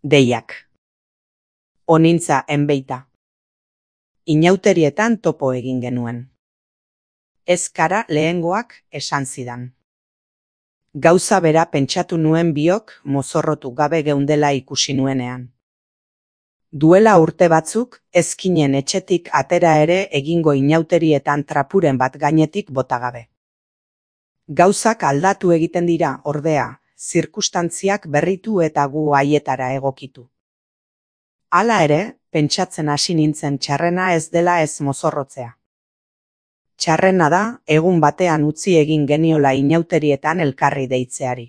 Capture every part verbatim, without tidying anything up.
Deiak. Onintza enbeita. Inauterietan topo egin genuen. Ez kara lehengoak esan zidan. Gauza bera pentsatu nuen biok mozorrotu gabe geundela ikusi nuenean. Duela urte batzuk, ezkinen etxetik atera ere egingo inauterietan trapuren bat gainetik bota gabe. Gauzak aldatu egiten dira, ordea, zirkustantziak berritu eta gu haietara egokitu. Hala ere, pentsatzen hasi nintzen txarrena ez dela ez mozorrotzea. Txarrena da, egun batean utzi egin geniola inauterietan elkarri deitzeari.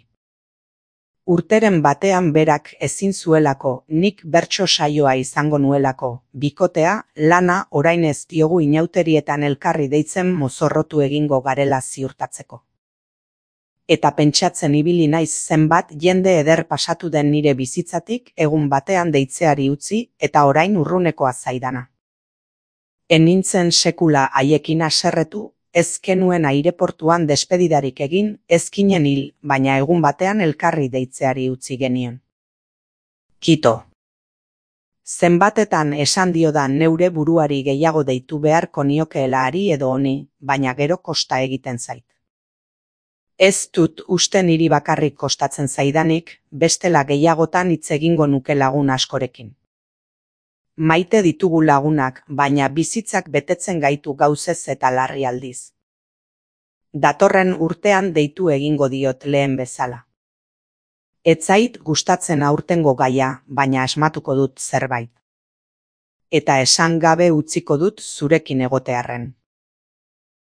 Urteren batean berak ezin zuelako, nik bertso saioa izango nuelako, bikotea, lana orain ez diogu inauterietan elkarri deitzen mozorrotu egingo garela ziurtatzeko. Eta pentsatzen ibili naiz zenbat jende eder pasatu den nire bizitzatik egun batean deitzeari utzi eta orain urrunekoa zaidana. Enintzen sekula haiekin haserretu, ez genuen aireportuan despedidarik egin, ezkinen hil, baina egun batean elkarri deitzeari utzi genion. Kito. Zenbatetan esan diodan neure buruari gehiago deitu beharko niokeela hari edo honi, baina gero kosta egiten zait. Ez dut uste niri bakarrik kostatzen zaidanik, bestela gehiagotan hitz egingo nuke lagun askorekin. Maite ditugu lagunak, baina bizitzak betetzen gaitu gauzez eta larri aldiz. Datorren urtean deitu egingo diot lehen bezala. Ez zait gustatzen aurtengo gaia, baina asmatuko dut zerbait. Eta esan gabe utziko dut zurekin egotearren.